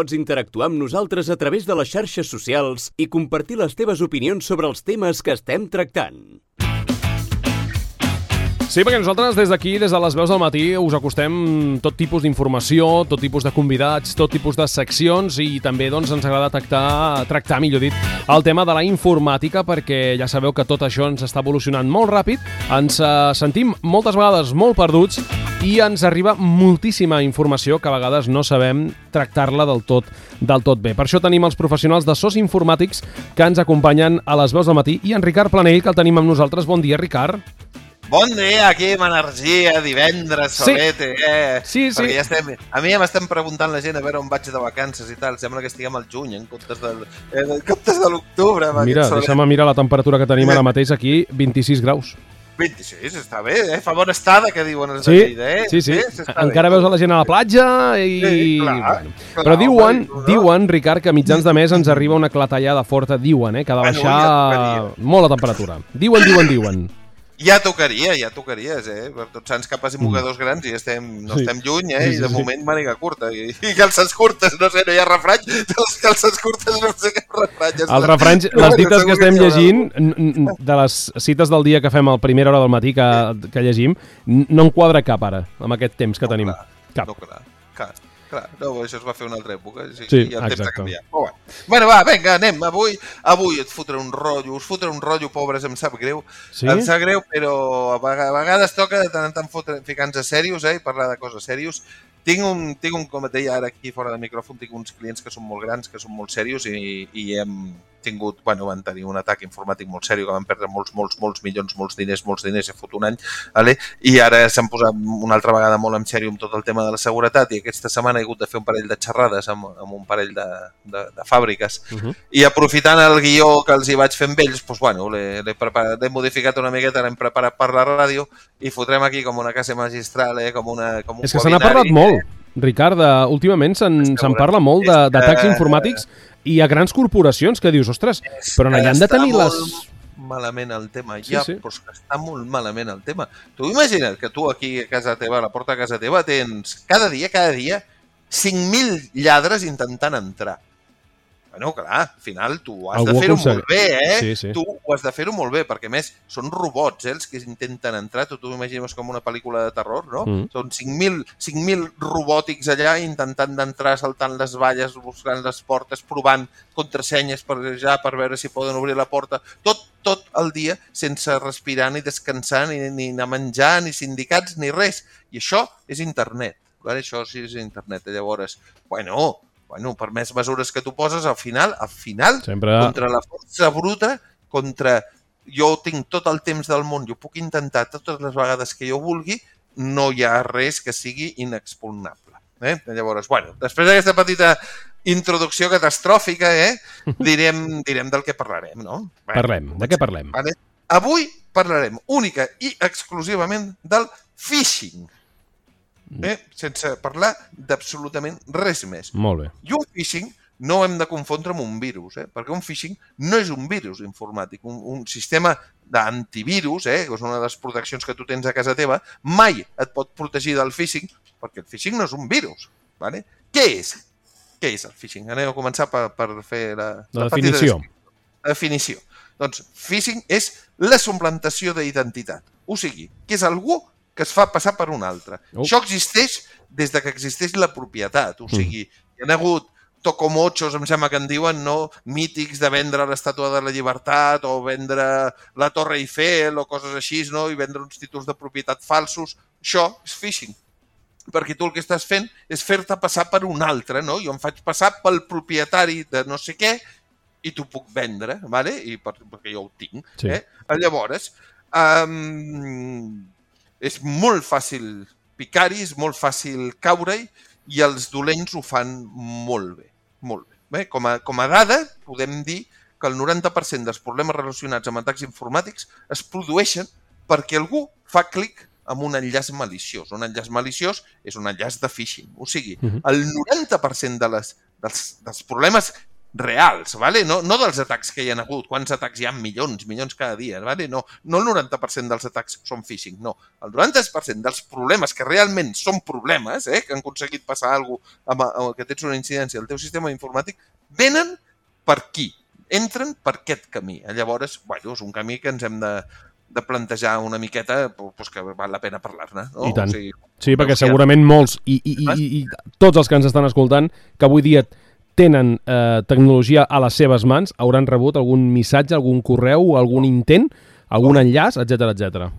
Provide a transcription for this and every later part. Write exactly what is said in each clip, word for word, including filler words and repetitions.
Pots interactuar amb nosaltres a través de les xarxes socials i compartir les teves opinions sobre els temes que estem tractant. Sí, perquè nosaltres des d'aquí, des de les veus del matí, us acostem tot tipus d'informació, tot tipus de convidats, tot tipus de seccions i també doncs, ens agrada tractar, tractar, millor dit, el tema de la informàtica perquè ja sabeu que tot això ens està evolucionant molt ràpid, ens eh, sentim moltes vegades molt perduts i ens arriba moltíssima informació que a vegades no sabem tractar-la del tot, del tot bé. Per això tenim els professionals de sos informàtics que ens acompanyen a les veus del matí i en Ricard Planell, que el tenim amb nosaltres. Bon dia, Ricard. Bon dia, aquí amb energia, divendres, solete, sí. eh? Sí, sí. Perquè ja estem, a mi ja m'estem preguntant la gent a veure on vaig de vacances i tal. Sembla que estiguem al juny en comptes de, eh, en comptes de l'octubre. Mira, deixa'm mirar la temperatura que tenim ara mateix aquí, vint-i-sis graus. vint-i-sis, està bé, eh? Fa bona estada, que diuen els sí, de Lleida, eh? Sí, sí, sí encara bé. Veus a la gent a la platja i... Sí, clar, bueno. clar, Però diuen, no? diuen, Ricard, que a mitjans de mes ens arriba una clatellada forta, diuen, eh? Que ha de baixar bueno, ja molt la temperatura. Diuen, diuen, diuen. Ja tocaria, ja tocaries, eh? Per tots sants capes i mogadors grans i estem, no sí. estem lluny, eh? Sí, sí, I de sí. moment màniga curta. I, I calces curtes, no sé, no hi ha refrany. De les calces curtes no sé què refrany. Els refranys, les dites que estem llegint, de les cites del dia que fem a primera hora del matí que, que llegim, no en quadra cap ara, amb aquest temps que no, tenim. Clar, cap. No, clar, clar. Clar, no, això es va fer una altra època, sí, sí, i el temps exacte. ha canviat. Oh, bueno. bueno, va, vinga, anem. Avui, avui et fotré un rotllo, us fotré un rotllo, pobres, em sap greu. Sí? Em sap greu, però a vegades toca de tant en tant ficar-nos a serios, eh, i parlar de coses serios. Tinc un, tinc un, com et deia ara aquí fora de micròfon, tinc uns clients que són molt grans, que són molt serios i, i hem tingut, bueno, van tenir un atac informàtic molt seriós, que van perdre molts, molts, molts milions, molts diners, molts diners, he fot un any, vale? I ara s'han posat una altra vegada molt en sèrio amb tot el tema de la seguretat i aquesta setmana he hagut de fer un parell de xerrades amb, amb un parell de, de, de fàbriques uh -huh. i aprofitant el guió que els hi vaig fer amb ells, doncs, bueno, l'he modificat una miqueta, l'hem preparat per la ràdio i fotrem aquí com una classe magistral, eh? com, una, com un És que se n'ha parlat eh? molt, Ricard, de, últimament se'n se parla molt d'atacs informàtics i a grans corporacions que dius, ostres, però allà han de tenir les... malament el tema, sí, ja, sí. però és que està molt malament el tema. Tu imagina't que tu aquí a casa teva, a la porta de casa teva, tens cada dia, cada dia, cinc mil lladres intentant entrar. Bueno, clar, al final tu has Algú de fer-ho aconsegueix. molt bé, eh? Sí, sí. Tu ho has de fer-ho molt bé, perquè a més són robots, eh, els que intenten entrar. Tu t'ho imagines com una pel·lícula de terror, no? Mm. Són cinc mil robòtics allà intentant d'entrar, saltant les valles, buscant les portes, provant contrasenyes per ja per veure si poden obrir la porta. Tot, tot el dia sense respirar ni descansar, ni, ni anar a menjar, ni sindicats, ni res. I això és internet. Vale? Això sí és internet. Llavors, bueno... Bueno, per més mesures que tu poses, al final, al final, Sempre... contra la força bruta, contra jo tinc tot el temps del món, jo puc intentar totes les vegades que jo vulgui, no hi ha res que sigui inexpugnable. Eh? Llavors, bueno, després d'aquesta petita introducció catastròfica, eh, direm, direm del que parlarem, no? Bueno, parlem, de què parlem? Vale? Avui parlarem única i exclusivament del phishing. Eh? Sense parlar d'absolutament res més. Molt bé. I un phishing no ho hem de confondre amb un virus, eh? Perquè un phishing no és un virus informàtic. Un, un sistema d'antivirus, eh? que és una de les proteccions que tu tens a casa teva, mai et pot protegir del phishing, perquè el phishing no és un virus. Vale? Què és? Què és el phishing? Anem a començar per, per fer la, la, la definició. La definició. Doncs phishing és la suplantació d'identitat. O sigui, que és algú que es fa passar per un altre. Oh. Això existeix des de que existeix la propietat. O sigui, mm. hi ha hagut tocomochos, em sembla que en diuen, no? Mítics de vendre l'Estàtua de la Llibertat o vendre la Torre Eiffel o coses així, no? I vendre uns títols de propietat falsos. Això és phishing. Perquè tu el que estàs fent és fer-te passar per un altre, no? Jo em faig passar pel propietari de no sé què i t'ho puc vendre, ¿vale? I per, perquè jo ho tinc. Sí. Eh? Llavors, um, és molt fàcil picar-hi, és molt fàcil caure-hi i els dolents ho fan molt bé. Molt bé. Bé, com a, com a dada, podem dir que el noranta per cent dels problemes relacionats amb atacs informàtics es produeixen perquè algú fa clic amb un enllaç maliciós. Un enllaç maliciós és un enllaç de phishing. O sigui, uh-huh. el noranta per cent de les, dels, dels problemes reals, ¿vale? No, no dels atacs que hi ha hagut. Quants atacs hi ha? Milions, milions cada dia, ¿vale? No, no el noranta per cent dels atacs són phishing, no. El noranta per cent dels problemes que realment són problemes, eh, que han aconseguit passar alguna cosa, amb, amb que tens una incidència al teu sistema informàtic, venen per aquí, entren per aquest camí. Llavors, bueno, és un camí que ens hem de, de plantejar una miqueta, pues, que val la pena parlar-ne. No? I tant. O sigui, sí, perquè segurament molts, i, i, i, i tots els que ens estan escoltant, que avui dia tenen eh, tecnologia a les seves mans, hauran rebut algun missatge, algun correu, algun intent, algun enllaç, etcètera, etcètera.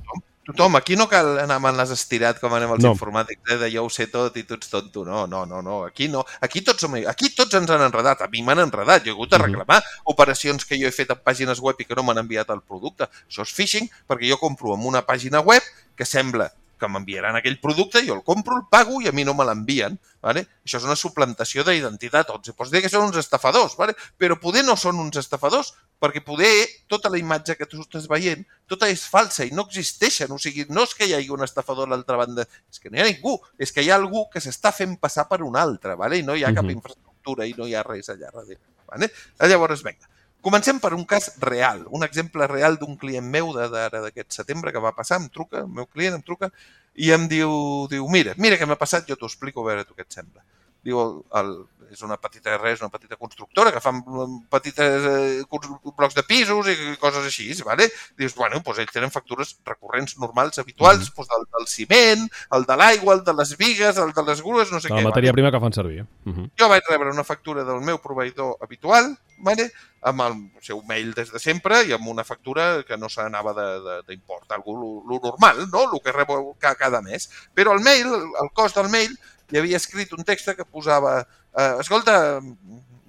Tothom, aquí no cal anar amb les estirat com anem els no. informàtics, eh, de jo ho sé tot i tu ets tonto. No, no, no, no. Aquí no. Aquí tots, som... aquí tots ens han enredat. A mi m'han enredat. Jo he hagut de reclamar uh-huh. operacions que jo he fet en pàgines web i que no m'han enviat el producte. Això és phishing perquè jo compro en una pàgina web que sembla que m'enviaran aquell producte, jo el compro, el pago i a mi no me l'envien. Vale? Això és una suplantació d'identitat. Els pots dir que són uns estafadors, vale? Però poder no són uns estafadors perquè poder tota la imatge que tu estàs veient, tota és falsa i no existeixen. O sigui, no és que hi hagi un estafador a l'altra banda, és que no hi ha ningú, és que hi ha algú que s'està fent passar per un altre, vale? I no hi ha cap infraestructura i no hi ha res allà darrere. Vale? Llavors, vinga. Comencem per un cas real, un exemple real d'un client meu d'ara d'aquest setembre que va passar, em truca, el meu client em truca i em diu, diu mira, mira què m'ha passat, jo t'ho explico, a veure tu què et sembla. Diu, el, el, és una petita res, una petita constructora que fan petites eh, blocs de pisos i coses així, vale? Dius, bueno, doncs ells tenen factures recurrents normals, habituals, mm-hmm. doncs el del ciment, el de l'aigua, el de les vigues, el de les grues, no sé de què. La matèria vale? prima que fan servir. Mm-hmm. Jo vaig rebre una factura del meu proveïdor habitual, vale? Amb el seu mail des de sempre i amb una factura que no s'anava d'import, algo lo normal, no? El que rebo cada mes. Però el mail, el cost del mail, hi havia escrit un text que posava eh, escolta,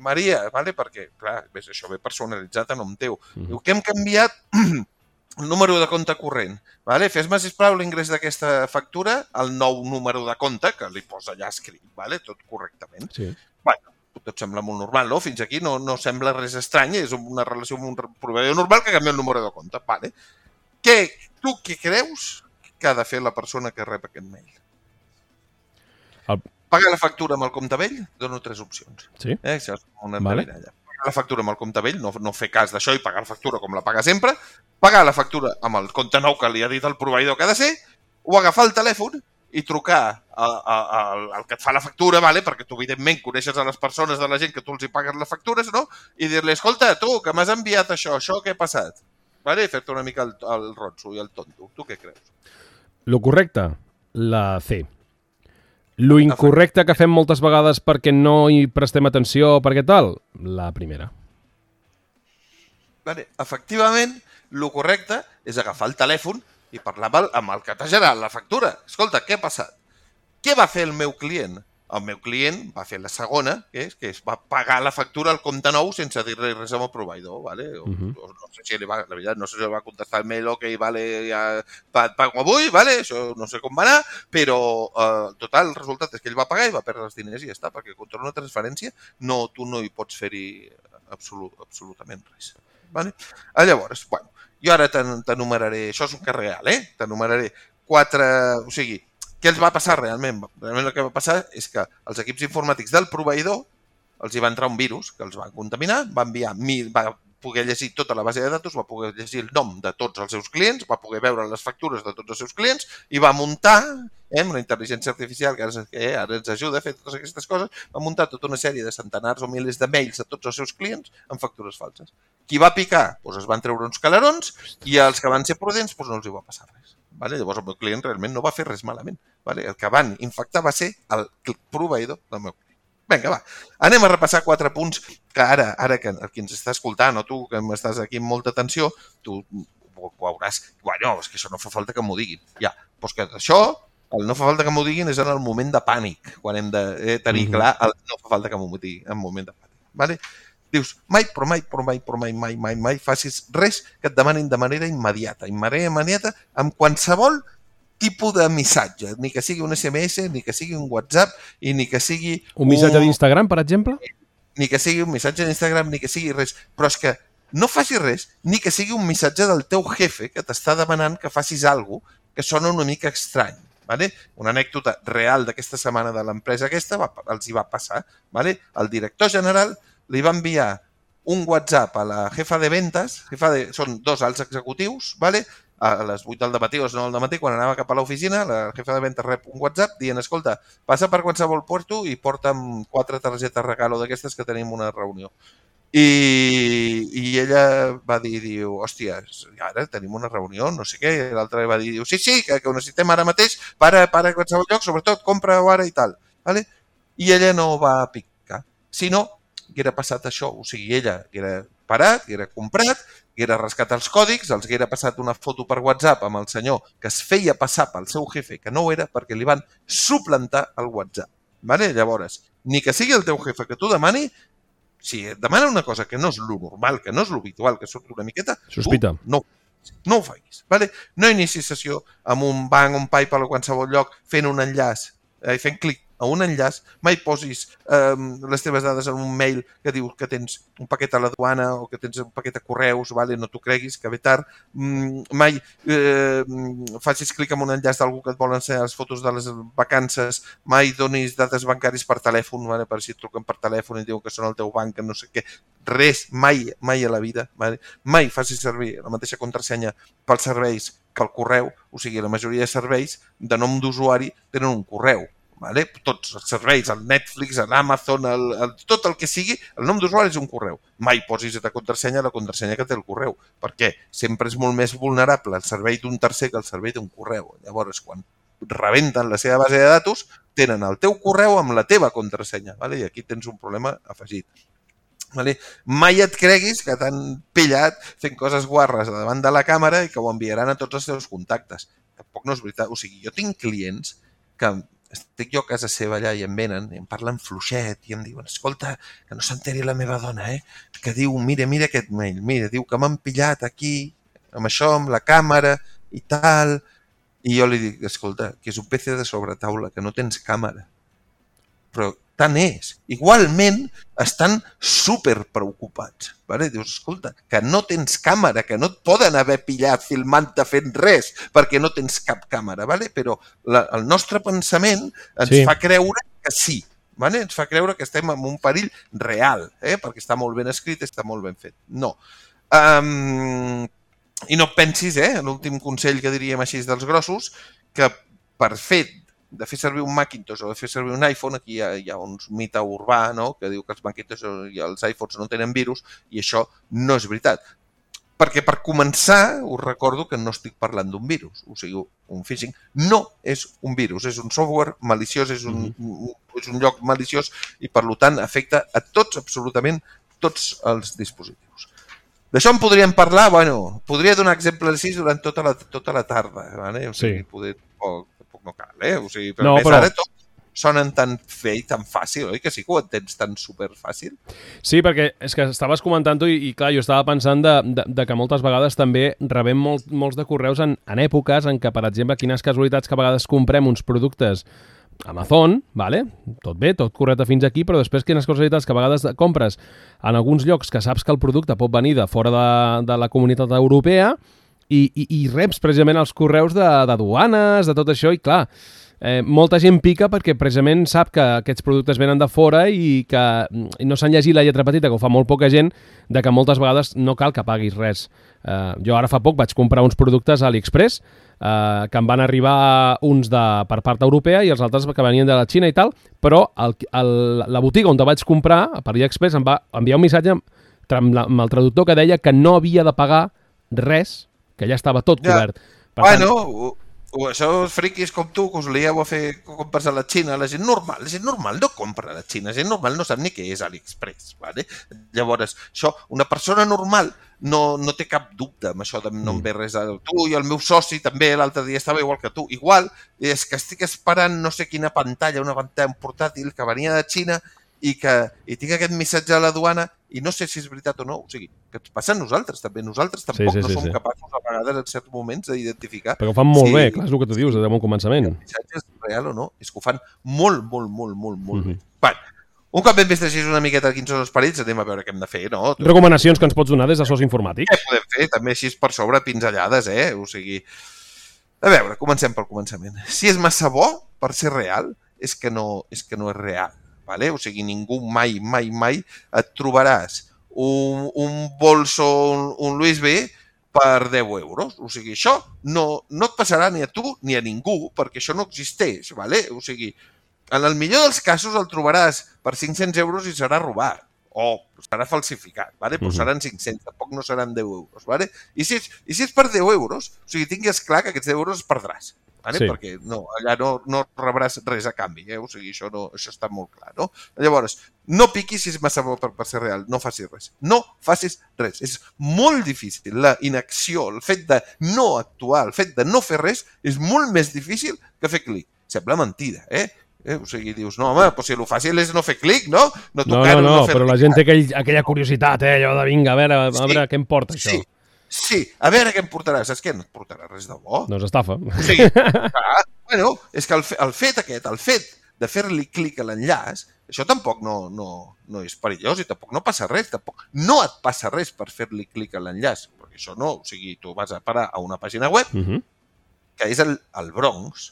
Maria, vale? Perquè, clar, ves, això ve personalitzat a nom teu. Mm-hmm. Diu que hem canviat el número de compte corrent. Vale? Fes-me, sisplau, l'ingrés d'aquesta factura al nou número de compte, que li posa allà escrit, vale? Tot correctament. Sí. Bueno, tot sembla molt normal, no? Fins aquí no, no sembla res estrany, és una relació amb un proveïdor normal que canvia el número de compte. Vale? Què, tu què creus que ha de fer la persona que rep aquest mail? El... Pagar la factura amb el compte vell? Dono tres opcions. Sí? Eh? Això és una vale. Pagar la factura amb el compte vell, no, no fer cas d'això i pagar la factura com la paga sempre, pagar la factura amb el compte nou que li ha dit el proveïdor que ha de ser, o agafar el telèfon i trucar a, a, a, al que et fa la factura, vale? Perquè tu, evidentment, coneixes a les persones de la gent que tu els hi pagues les factures, no? I dir-li, escolta, tu, que m'has enviat això, això què ha passat? Vale? Fer-te una mica el, el ronso i el tonto. Tu què creus? Lo correcte, la C. Lo incorrecte que fem moltes vegades perquè no hi prestem atenció, perquè tal, la primera. Vale. Efectivament, lo correcte és agafar el telèfon i parlar amb el que t'ha generat la factura. Escolta, què ha passat? Què va fer el meu client? El meu client va fer la segona, que és que es va pagar la factura al compte nou sense dir res al proveïdor, ¿vale? O, uh-huh. o, no sé si li va, la veritat, no sé si li va contestar el mail, ok, vale, ja et pago avui, vale? Això no sé com va anar, però eh, total, el resultat és que ell va pagar i va perdre els diners i ja està, perquè contra una transferència no, tu no hi pots fer-hi absolut, absolutament res. Vale? Llavors, bueno, jo ara t'enumeraré, això és un cas real, eh? T'enumeraré quatre, o sigui, què els va passar realment? Realment el que va passar és que els equips informàtics del proveïdor els hi va entrar un virus que els va contaminar, va enviar mil, va poder llegir tota la base de datos, va poder llegir el nom de tots els seus clients, va poder veure les factures de tots els seus clients i va muntar, eh, amb una intel·ligència artificial que ara, eh, ara ens ajuda a fer totes aquestes coses, va muntar tota una sèrie de centenars o milers de mails a tots els seus clients amb factures falses. Qui va picar? Doncs es van treure uns calarons i els que van ser prudents doncs no els hi va passar res. Vale? Llavors el meu client realment no va fer res malament. Vale? El que van infectar va ser el proveïdor del meu client. Vinga, va. Anem a repassar quatre punts que ara, ara que qui ens està escoltant o tu que m'estàs aquí amb molta atenció, tu ho veuràs. Bueno, és que això no fa falta que m'ho diguin. Ja, doncs que això, el no fa falta que m'ho diguin és en el moment de pànic, quan hem de eh, tenir mm-hmm. clar el no fa falta que m'ho diguin en moment de pànic. Vale? Dius, mai, però mai, però mai, però mai, mai, mai, mai facis res que et demanin de manera immediata. De manera immediata amb qualsevol tipus de missatge, ni que sigui un esse eme esse, ni que sigui un WhatsApp, i ni que sigui... Un missatge d'Instagram, per exemple? Ni que sigui un missatge d'Instagram, ni que sigui res. Però és que no facis res, ni que sigui un missatge del teu jefe que t'està demanant que facis alguna cosa que sona una mica estrany. Vale? Una anècdota real d'aquesta setmana de l'empresa aquesta va, els hi va passar. Vale? El director general li va enviar un WhatsApp a la jefa de ventas, jefa de, són dos alts executius, ¿vale? A les vuit del matí o a les nou del matí, quan anava cap a l'oficina, la jefa de ventas rep un WhatsApp dient, escolta, passa per qualsevol puerto i porta'm quatre targetes regalo d'aquestes que tenim una reunió. I, i ella va dir, diu, hòstia, ara tenim una reunió, no sé què, i l'altre va dir, diu, sí, sí, que, que ho necessitem ara mateix, para, para a qualsevol lloc, sobretot, compra-ho ara i tal. ¿Vale? I ella no va picar, sinó que era passat això, o sigui, ella era parat, que era comprat, que era rescatat els còdics, els que era passat una foto per WhatsApp amb el senyor que es feia passar pel seu jefe, que no ho era, perquè li van suplantar el WhatsApp. Vale? Llavors, ni que sigui el teu jefe que t'ho demani, si et demana una cosa que no és lo normal, que no és lo habitual, que surt una miqueta, sospita. Tu no, no ho facis. Vale? No inicis sessió amb un banc, un PayPal o qualsevol lloc fent un enllaç, eh, fent clic a un enllaç, mai posis eh, les teves dades en un mail que diu que tens un paquet a la duana o que tens un paquet a correus, vale? No t'ho creguis, que ve tard. Mm, mai eh, facis clic en un enllaç d'algú que et vol ensenyar les fotos de les vacances, mai donis dades bancàries per telèfon, vale? Per si et truquen per telèfon i diuen que són el teu banc, que no sé què. Res, mai, mai a la vida. Vale? Mai facis servir la mateixa contrasenya pels serveis que el correu, o sigui, la majoria de serveis de nom d'usuari tenen un correu. Vale? Tots els serveis, el Netflix, l'Amazon, el, el, tot el que sigui, el nom d'usuari és un correu. Mai posis a contrasenya la contrasenya que té el correu. Per què? Sempre és molt més vulnerable el servei d'un tercer que el servei d'un correu. Llavors, quan rebenten la seva base de datos, tenen el teu correu amb la teva contrasenya. Vale? I aquí tens un problema afegit. Vale? Mai et creguis que t'han pillat fent coses guarres davant de la càmera i que ho enviaran a tots els teus contactes. Tampoc no és veritat. O sigui, jo tinc clients que estic jo a casa seva allà i em venen, i em parlen fluixet i em diuen, escolta, que no s'enteri la meva dona, eh? Que diu, mira, mira aquest mail, mira, diu que m'han pillat aquí, amb això, amb la càmera i tal. I jo li dic, escolta, que és un P C de sobretaula, que no tens càmera. Però tant és. Igualment estan super preocupats. Vale? Dius, escolta, que no tens càmera, que no et poden haver pillat filmant-te fent res, perquè no tens cap càmera. Vale? Però la, el nostre pensament ens sí. fa creure que sí. Vale? Ens fa creure que estem en un perill real, eh? Perquè està molt ben escrit, està molt ben fet. No. Um, I no pensis, eh? L'últim consell que diríem així dels grossos, que per fet de fer servir un Macintosh o de fer servir un iPhone, aquí hi ha, hi ha un mite urbà, no? Que diu que els Macintosh i els iPhones no tenen virus, i això no és veritat. Perquè per començar, us recordo que no estic parlant d'un virus, o sigui, un phishing no és un virus, és un software maliciós, és un, mm-hmm. és un lloc maliciós i per tant afecta a tots, absolutament tots els dispositius. D'això en podríem parlar, bueno, podria donar exemples així durant tota la, tota la tarda, vale? O sigui, sí. poder, poc, poc no cal, eh? O sigui, però no, més però... ara tot sonen tan fe i tan fàcil, oi? Que sí que ho entens tan superfàcil. Sí, perquè és que estaves comentant-ho i, i clar, jo estava pensant de, de, de que moltes vegades també rebem molt, molts de correus en, en èpoques en què, per exemple, quines casualitats que a vegades comprem uns productes Amazon, vale? Tot bé, tot correcte fins aquí, però després quines casualitats que a vegades compres en alguns llocs que saps que el producte pot venir de fora de, de la comunitat europea i, i, i reps precisament els correus de, de duanes, de tot això, i clar, Eh, molta gent pica perquè precisament sap que aquests productes venen de fora i que no s'han llegit la lletra petita, que ho fa molt poca gent, de que moltes vegades no cal que paguis res. Eh, jo ara fa poc vaig comprar uns productes a AliExpress eh, que em van arribar uns de, per part europea i els altres que venien de la Xina i tal, però el, el, la botiga on te vaig comprar, per AliExpress, em va enviar un missatge amb, amb el traductor que deia que no havia de pagar res, que ja estava tot ja. cobert. Per bueno... tant, o això friquis com tu, que us lieu a fer compres a la Xina, la gent normal, la gent normal no compra a la Xina, la gent normal no sap ni què és AliExpress, ¿vale? Llavors, això, una persona normal no, no té cap dubte amb això de no em ve res a tu, i el meu soci també l'altre dia estava igual que tu, igual, és que estic esperant no sé quina pantalla, una pantalla portàtil que venia de Xina i que i tinc aquest missatge a la duana i no sé si és veritat o no, o sigui, que ens passa a nosaltres també, nosaltres tampoc sí, sí, no sí, som sí. capaços a vegades en certs moments d'identificar. Perquè ho fan molt si, bé, clar, és el que tu dius des de bon començament. Si el missatge és real o no, és que ho fan molt, molt, molt, molt, molt mm-hmm. bé. Bueno, un cop hem vist així una miqueta quins són els perills, anem a veure què hem de fer, no? Recomanacions que ens pots donar des de Sos Informàtics? Què podem fer? També així per sobre pinzellades, eh? O sigui, a veure, comencem pel començament. Si és massa bo per ser real, és que no és, que no és real. vale? O sigui, ningú mai, mai, mai et trobaràs un, un bolso, un, un Louis V per deu euros. O sigui, això no, no et passarà ni a tu ni a ningú, perquè això no existeix, vale? O sigui, en el millor dels casos el trobaràs per cinc-cents euros i serà robat. O serà falsificat, vale? Però seran cinc-cents, tampoc no seran deu euros. Vale? I, si és, I si és per deu euros, o sigui, tingues clar que aquests deu euros es perdràs, vale? Sí. Perquè no, allà no, no rebràs res a canvi, eh? O sigui, això, no, això està molt clar, no? Llavors, no piquis si és massa bo per, per ser real, no facis res. No facis res. És molt difícil. La inacció, el fet de no actuar, el fet de no fer res, és molt més difícil que fer clic. Sembla mentida, eh? Eh, o sigui, dius, no, home, però si el fàcil és no fer clic, no? No, no, no, no, no però la gent té aquell, aquella curiositat, eh? Allò de vinga, a veure, a sí, veure què em porta això. Sí, sí, a veure què em portarà. Saps què? No et portarà res de bo. No és estafa. O sigui, clar, bueno, és que el, el fet aquest, el fet de fer-li clic a l'enllaç, això tampoc no, no, no és perillós i tampoc no passa res. Tampoc, no et passa res per fer-li clic a l'enllaç, perquè això no, o sigui, tu vas a parar a una pàgina web uh-huh. que és el, el Bronx.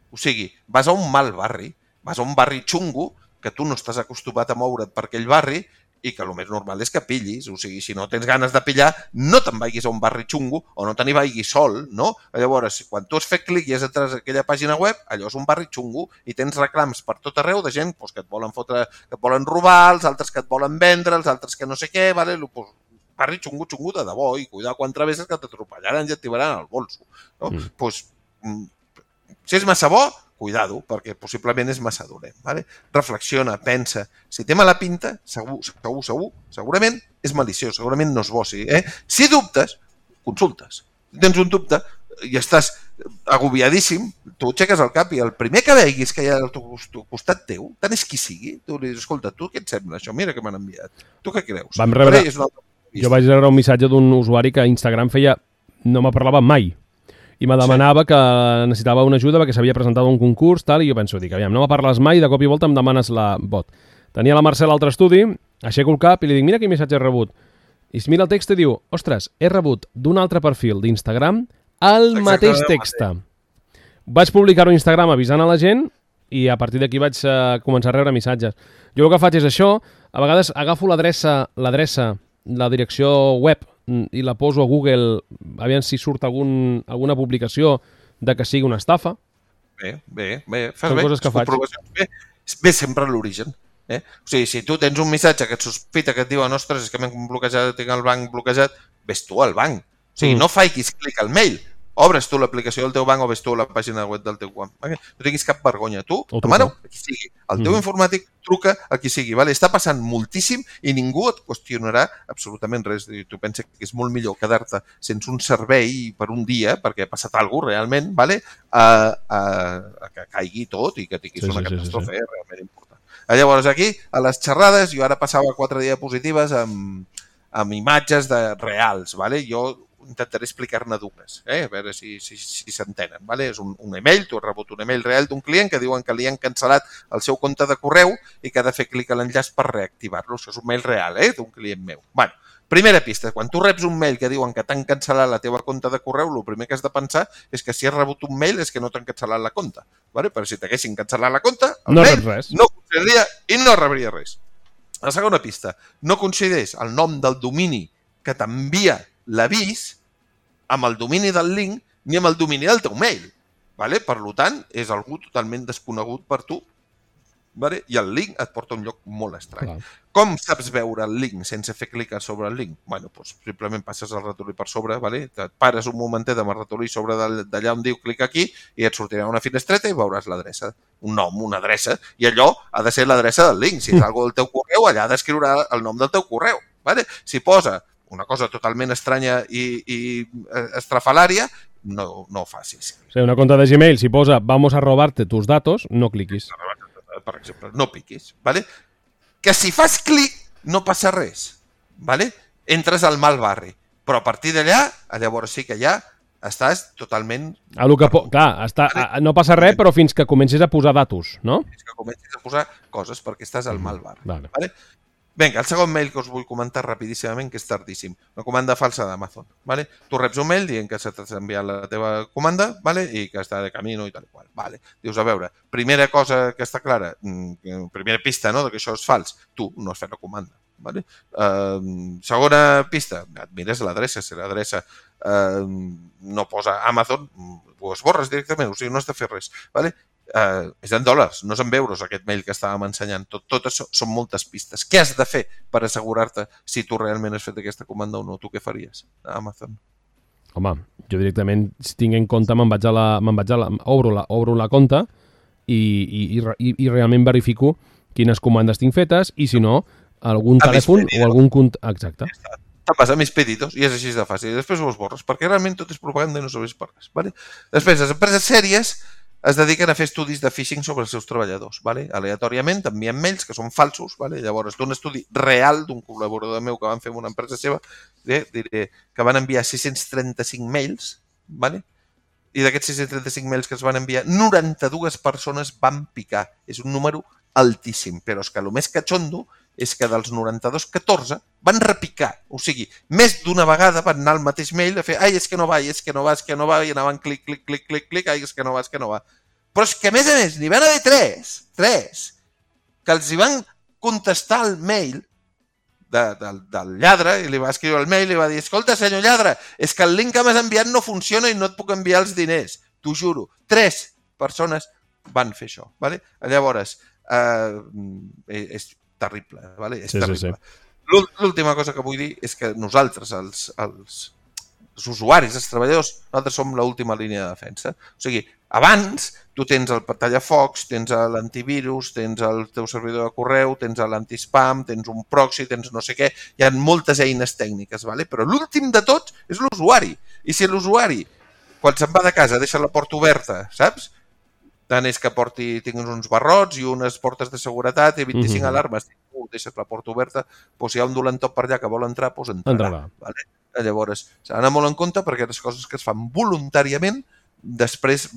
O sigui, vas a un mal barri, vas a un barri xungo, que tu no estàs acostumat a moure't per aquell barri i que el més normal és que pillis. O sigui, si no tens ganes de pillar, no te'n vagis a un barri xungo o no te n'hi vagis sol, no? Llavors, quan tu has fet clic i has entrat a aquella pàgina web, allò és un barri xungo i tens reclams per tot arreu de gent doncs, que et volen fotre, que et volen robar, els altres que et volen vendre, els altres que no sé què, vale? Pues, barri xungo, xungo de debò i cuidar quan travesses que t'atropellaran i et tiraran al bolso. No? Mm. Pues, si és massa bo, cuidado, perquè possiblement és massa dolent. Vale? Reflexiona, pensa. Si té mala pinta, segur, segur, segur, segurament és maliciós, segurament no és bo. Sí, eh? Si dubtes, consultes. Si tens un dubte i estàs agobiadíssim, tu aixeques el cap i el primer que veguis que hi ha al teu costat teu, tant és qui sigui, tu li dius, escolta, tu què et sembla això? Mira què m'han enviat. Tu què creus? Vam rebre... Jo vaig rebre un missatge d'un usuari que a Instagram feia... no me parlava mai. I me demanava sí. que necessitava una ajuda perquè s'havia presentat a un concurs, tal, i jo penso, dic, aviam, no me parles mai, de cop i volta em demanes la bot. Tenia la Mercè a l'altre estudi, aixeco el cap i li dic, mira quin missatge he rebut. I es mira el text i diu, ostres, he rebut d'un altre perfil d'Instagram el Exacte, mateix text. Vaig publicar-ho a Instagram avisant a la gent i a partir d'aquí vaig uh, començar a rebre missatges. Jo el que faig és això, a vegades agafo l'adreça, l'adreça, la direcció web i la poso a Google, aviam si surt algun, alguna publicació de que sigui una estafa. Bé, bé, bé. Fas Són bé. coses que faig. Bé, bé sempre a l'origen. Eh? O sigui, si tu tens un missatge que et sospita, que et diuen, ostres, és que m'he bloquejat, tinc el banc bloquejat, ves tu al banc. O sigui, mm. no facis clic al mail. Obres tu l'aplicació del teu banc o ves tu a la pàgina web del teu banc. Okay? No tinguis cap vergonya. Tu, demana a qui sigui. El teu mm. informàtic truca a qui sigui. Vale? Està passant moltíssim i ningú et qüestionarà absolutament res. Tu penses que és molt millor quedar-te sense un servei per un dia, perquè ha passat alguna cosa realment, vale? a, a, a que caigui tot i que tinguis sí, una sí, catàstrofe sí, sí. realment important. Llavors aquí, a les xerrades, jo ara passava quatre diapositives amb, amb imatges de reals. Vale? Jo intentaré explicar-ne dues, eh? A veure si si, si s'entenen. Vale? És un, un email, tu has rebut un email real d'un client que diuen que li han cancel·lat el seu compte de correu i que ha de fer clic a l'enllaç per reactivar-lo. Això és un mail real, eh? D'un client meu. Bueno, primera pista, quan tu reps un mail que diuen que t'han cancel·lat la teva compte de correu, el primer que has de pensar és que si has rebut un mail és que no t'han cancel·lat la compte. Vale? Però si t'haguessin cancel·lat la compte, el no mail res. no consideraria i no rebria res. La segona pista, no consideres el nom del domini que t'envia l'avís amb el domini del link ni amb el domini del teu mail. Vale? Per tant, és algú totalment desconegut per tu. Vale? I el link et porta a un lloc molt estrany. Clar. Com saps veure el link sense fer clic sobre el link? Bueno, doncs simplement passes el ratolí per sobre, vale? Et pares un momentet amb el ratolí sobre d'allà on diu clic aquí i et sortirà una finestreta i veuràs l'adreça. Un nom, una adreça. I allò ha de ser l'adreça del link. Si és algo del teu correu, allà ha d'escriure el nom del teu correu. Vale? Si posa una cosa totalment estranya i, i estrafalària, no, no ho facis. O sigui, una compte de Gmail, si posa vamos a robarte tus datos, no cliquis. Per exemple, no piquis. Vale? Que si fas clic no passa res. Vale? Entres al mal barri. Però a partir d'allà, llavors sí que ja estàs totalment... A lo que po... Clar, està... vale? No passa res, però fins que comencis a posar datos, no? Fins que comencis a posar coses perquè estàs al mal barri. Vale. Vale? Vinga, el segon mail que us vull comentar rapidíssimament, que és tardíssim. Una comanda falsa d'Amazon. ¿Vale? Tu reps un mail dient que s'ha enviat la teva comanda, ¿vale? I que està de camino i tal i qual. Vale. Dius, a veure, primera cosa que està clara, primera pista, no?, que això és fals. Tu no has fet la comanda. Vale? Uh, segona pista, et mires l'adreça, si l'adreça uh, no posa Amazon, ho esborres directament, o sigui, no has de fer res. Vale? Uh, és en dòlars, no és en euros aquest mail que estàvem ensenyant. Tot, tot això són moltes pistes. Què has de fer per assegurar-te si tu realment has fet aquesta comanda o no? Tu què faries a Amazon? Home, jo directament, si tinc en compte, me'n vaig a la... Me'n vaig a la obro, la obro la compte i, i, i, i realment verifico quines comandes tinc fetes i, si no, algun a telèfon o algun... Cont... Exacte. Ja te'n vas a mis pedidos i és així de fàcil. I després ho esborres, perquè realment tot és propaganda i no serveix per res. Vale? Després, les empreses sèries es dediquen a fer estudis de phishing sobre els seus treballadors. Vale? Aleatòriament t'envien mails que són falsos. Vale? Llavors, d'un estudi real d'un col·laborador meu que van fer amb una empresa seva, eh, diré que van enviar sis-cents trenta-cinc mails, vale? I d'aquests sis-cents trenta-cinc mails que es van enviar, noranta-dues persones van picar. És un número altíssim, però és que el més catxondo és que dels noranta-dos, catorze van repicar. O sigui, més d'una vegada van anar al mateix mail a fer ai, és que no va, és que no va, és que no va, i anaven clic, clic, clic, clic, clic, ai, és que no va, és que no va. Però és que, a més a més, n'hi van haver tres, tres, que els hi van contestar el mail de, de, del lladre, i li va escriure el mail i li va dir, escolta, senyor lladre, és que el link que m'has enviat no funciona i no et puc enviar els diners. T'ho juro. Tres persones van fer això. Vale? Llavors, eh, és terrible, vale? És sí, terrible. Sí, sí. L'última cosa que vull dir és que nosaltres, els, els, els usuaris, els treballadors, nosaltres som l'última línia de defensa. O sigui, abans tu tens el tallafocs, tens l'antivirus, tens el teu servidor de correu, tens l'antispam, tens un proxy, tens no sé què, hi ha moltes eines tècniques, vale? Però l'últim de tots és l'usuari. I si l'usuari, quan se'n va de casa, deixa la porta oberta, saps? Tant és que porti, tinguis uns barrots i unes portes de seguretat i vint-i-cinc mm-hmm. alarmes. Si tu deixes la porta oberta, doncs si hi ha un dolentop per allà que vol entrar, doncs entrarà. Entrarà. Vale? Llavors, s'ha d'anar molt en compte perquè les coses que es fan voluntàriament, després,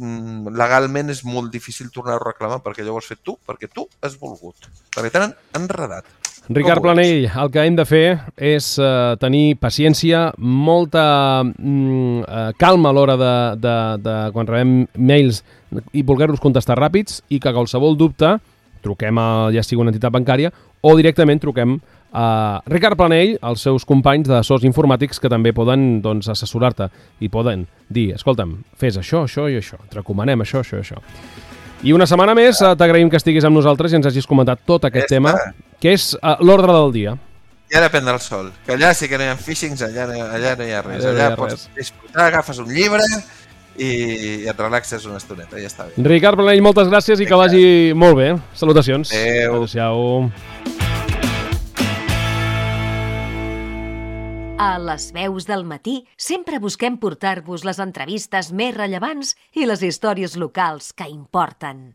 legalment, és molt difícil tornar a reclamar perquè allò ho has fet tu, perquè tu has volgut. Perquè t'han enredat. Ricard Planell, el que hem de fer és uh, tenir paciència, molta mm, uh, calma a l'hora de, de, de quan rebem mails i voler-los contestar ràpids i que qualsevol dubte truquem a ja sigui una entitat bancària o directament truquem a Ricard Planell, als seus companys d'assessors informàtics que també poden doncs, assessorar-te i poden dir, escolta'm, fes això, això i això, et recomanem això, això i això. I una setmana més t'agraïm que estiguis amb nosaltres i ens hagis comentat tot aquest ja tema, que és uh, l'ordre del dia. I ara prendre el sol, que allà sí que no hi ha phishings, allà no, allà no hi ha res. Allà, allà pots disfrutar, agafes un llibre i et relaxes una estoneta, ja està bé. Ricard Planell, moltes gràcies i que vagi molt bé. Salutacions. Adéu. Adéu-siau. A les veus del matí sempre busquem portar-vos les entrevistes més rellevants i les històries locals que importen.